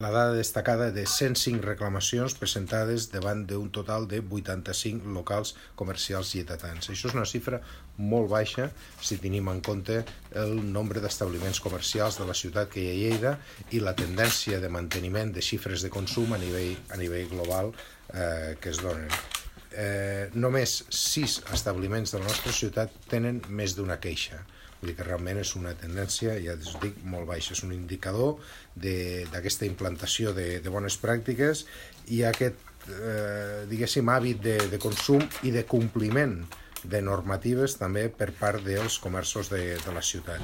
La dada destacada de 105 reclamacions presentades davant d'un total de 85 locals comercials lleidatans. Això és una xifra molt baixa si tenim en compte el nombre d'establiments comercials de la ciutat que hi ha a Lleida i la tendència de manteniment de xifres de consum a nivell global que es donen. Només 6 establiments de la nostra ciutat tenen més d'una queixa. Vull dir que realment és una tendència, ja us dic, molt baixa. És un indicador d'aquesta implantació de bones pràctiques i aquest, diguéssim, hàbit de consum i de compliment de normatives també per part dels comerços de la ciutat.